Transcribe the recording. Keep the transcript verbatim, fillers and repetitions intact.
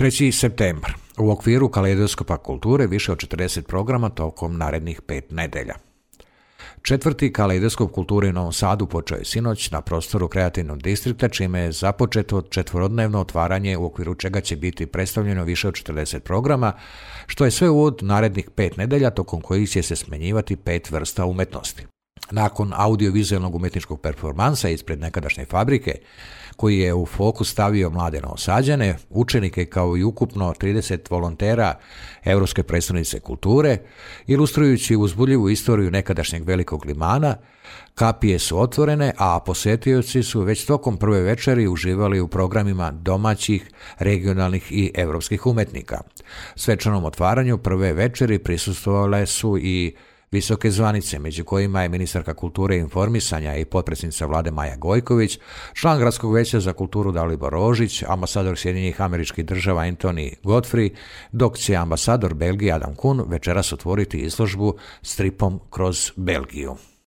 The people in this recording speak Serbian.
treći septembar. U okviru Kaleidoskopa kulture više od četrdeset programa tokom narednih pet nedelja. Četvrti Kaleidoskop kulture u Novom Sadu počeo je sinoć na prostoru kreativnog distrikta, čime je započeto četvorodnevno otvaranje u okviru čega će biti predstavljeno više od četrdeset programa, što je sve uvod narednih pet nedelja tokom kojih će se smenjivati pet vrsta umetnosti. Nakon audiovizualnog umetničkog performansa ispred nekadašnje fabrike, koji je u fokus stavio mlade Novosađane, učenike kao i ukupno trideset volontera Europske prestonice kulture, ilustrujući uzbudljivu istoriju nekadašnjeg velikog limana, kapije su otvorene, a posetioci su već tokom prve večeri uživali u programima domaćih, regionalnih i europskih umetnika. Svečanom otvaranju prve večeri prisustvovale su i visoke zvanice, među kojima je ministarka kulture i informisanja i potpredsjednica vlade Maja Gojković, član Gradskog veća za kulturu Dalibor Rožić, ambasador Sjedinjenih Američkih Država Anthony Godfrey, dok će ambasador Belgije Adam Kuhn večeras otvoriti izložbu Stripom kroz Belgiju.